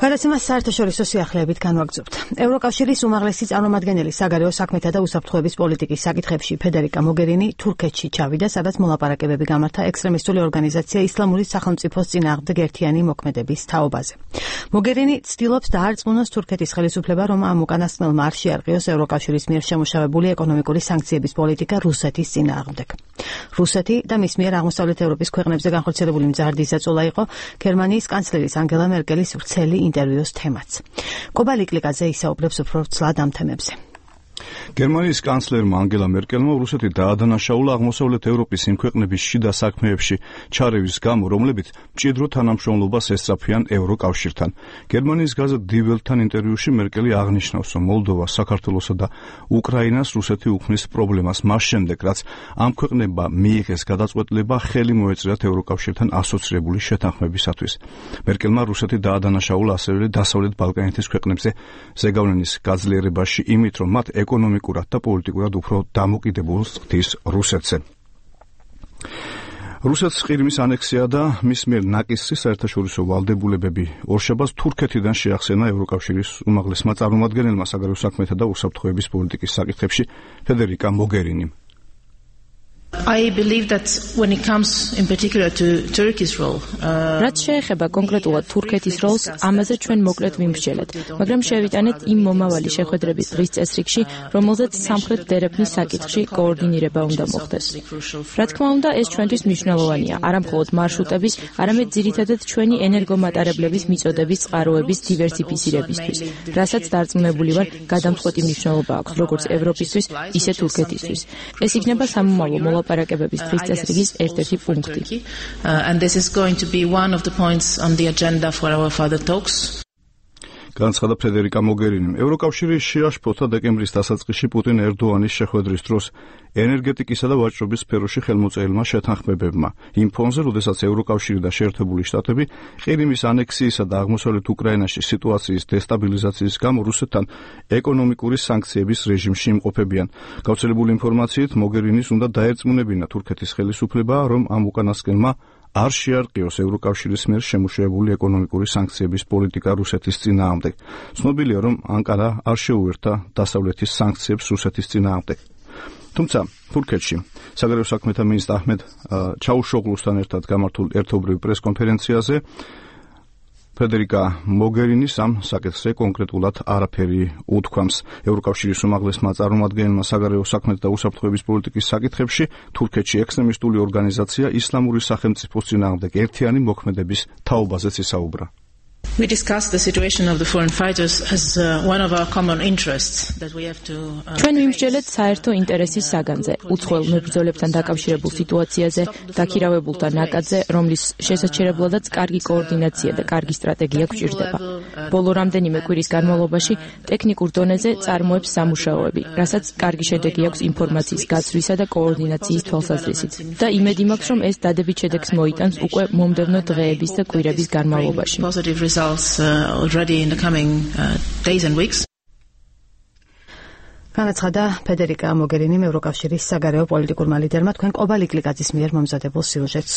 გადაცემას საერთაშორისო სიახლეებით განვაგრძობთ. ევროკავშირის უმაღლესი წარმომადგენელი საგარეო საქმეთა და უსაფრთხოების პოლიტიკის საკითხებში ფედერიკა მოგერინი თურქეთში ჩავიდა, სადაც მოლაპარაკებები გამართა ექსტრემისტული ორგანიზაცია ისლამური სახელმწიფოს წინააღმდეგ ერთიანი მოქმედების თაობაზე. მოგერინი ცდილობს დაარწმუნოს თურქეთის ხელისუფლება, რომ ამ უკანასკნელმა არ შეარყიოს ევროკავშირის მიერ შემუშავებული ეკონომიკური სანქციების პოლიტიკა რუსეთის წინააღმდეგ. რუსეთი და მის მიერ აღმოსავლეთ ევროპის ქვეყნებზე განხორციელებული მზარდი ზეწოლა იყო გერმანიის კანცლერის ანგელა მერკელის ვრცელი ინტერვიუს თემაც. კობა ლიკლიკაძე ისაუბრებს უფრო ცლად ამ თემებზე. გერმანიის კანცლერმა ანგელა მერკელმა რუსეთი დაადანაშაულა აღმოსავლეთ ევროპის იმ ქვეყნების შიდა საქმეებში ჩარევის გამო, რომლებიც მჭიდრო თანამშრომლობას ესწრაფიან ევროკავშირთან. გერმანიის გაზეთ Die Welt-თან ინტერვიუში მერკელი აღნიშნავს, რომ მოლდოვა, საქართველოსა და უკრაინას რუსეთი უქმნის პრობლემას მას შემდეგ, რაც ამ ქვეყნებმა მიიღეს გადაწყვეტილება ხელი მოეწერათ ევროკავშირთან ასოცირებული შეთანხმებისათვის. მერკელმა რუსეთი დაადანაშაულა ასევე დასავლეთ ბალკანეთის ქვეყნებზე ზეგავლენის გაძლიერებაში იმით, რომ მათ ეკონომიკურად და პოლიტიკურად უფრო დამოკიდებულს ხდის რუსეთზე. რუსეთს ყირიმის ანექსია და მის მიერ ნაკისრი საერთაშორისო ვალდებულებები ორშაბათს თურქეთიდან შეახსენა ევროკავშირის უმაღლესმა წარმომადგენელმა საგარეო საქმეთა და უსაფრთხოების პოლიტიკის საკითხებში ფედერიკა მოგერინიმ. I believe that when it comes in particular to Turkey's role, რაც შეეხება კონკრეტულად თურქეთის როლს, ამაზე ჩვენ მოკლედ ვიმსჯელეთ, მაგრამ შევიტანეთ იმ მომავალი შეხვედრების დღის წესრიგში, რომელზეც სამხრეთ დერეფნის საკითხში კოორდინირება უნდა მოხდეს. რა თქმა უნდა, ეს ჩვენთვის მნიშვნელოვანია, არა მხოლოდ მარშრუტების, არამედ ძირითადად ჩვენი ენერგომატარებლების მიწოდების წყაროების დივერსიფიცირებისთვის, რასაც დარწმუნებული ვარ, გადამწყვეტი მნიშვნელობა აქვს როგორც ევროპისთვის, ისე თურქეთისთვის. ეს იქნება სამომავლო მოლაპარაკებების დღის წესრიგის ერთ-ერთი პუნქტი. And this is going to be one of the points on the agenda for our further talks. განცხადა ფედერიკა მოგერინიმ. ევროკავშირი შეაშფოთა დეკემბრის დასაწყისში პუტინ-ერდოანის შეხვედრის დროს ენერგეტიკისა და ვაჭრობის სფეროში ხელმოწერილმა შეთანხმებებმა. იმ ფონზე, როდესაც ევროკავშირი და შეერთებული შტატები ყირიმის ანექსიისა და აღმოსავლეთ უკრაინაში სიტუაციის დესტაბილიზაციის გამო რუსეთთან ეკონომიკური სანქციების რეჟიმში იმყოფებიან. გავრცელებული ინფორმაციით, მოგერინის უნდა დაერწმუნებინა თურქეთის ხელისუფლება, რომ ამ უკანასკნელმა არ შეარყიოს ევროკავშირის მიერ შემუშავებული ეკონომიკური სანქციების პოლიტიკა რუსეთის წინააღმდეგ. ცნობილია, რომ ანკარა არ შეუერთა დასავლეთის სანქციებს რუსეთის წინააღმდეგ. თუმცა თურქეთში საგარეო საქმეთა მინისტრ აჰმედ ჩაუშოღლუსთან ერთად გამართულ ერთობრივ პრესკონფერენციაზე ფედერიკა მოგერინის ამ საკითხზე კონკრეტულად არაფერი უთქვამს. ევროკავშირის უმაღლესმა წარმომადგენელმა საგარეო საქმეთა და უსაფრთხოების პოლიტიკის საკითხებში თურქეთში ექსტრემისტული ორგანიზაცია ისლამური სახელმწიფოს წინააღმდეგ ერთიანი მოქმედების თაობაზეც ისაუბრა. We discussed the situation of the foreign fighters as one of our common interests that we have to ჩვენ ვიმსჯელეთ საერთო ინტერესის საგანზე, უცხოელ მებრძოლებთან დაკავშირებულ სიტუაციაზე, დაქირავებულთა ნაკადზე, რომლის შესაჩერებლადაც კარგი კოორდინაცია და კარგი სტრატეგია გვჭირდება. ბოლო რამდენიმე კვირის განმავლობაში ტექნიკურ დონეზე წარმოებს სამუშაოები, რასაც კარგი შედეგი აქვს ინფორმაციის გაცვლისა და კოორდინაციის თვალსაზრისით. და იმედი მაქვს, რომ ეს დადებით შედეგს მოიტანს უკვე მომდევნო დღეების და კვირების განმავლობაში. Already in the coming days and weeks. განაცხადა ფედერიკა მოგერინიმ ევროკავშირის საგარეო პოლიტიკურმა ლიდერმა თქვენ კობა ლიკლიკაძის მიერ მომზადებულ სიუჟეტს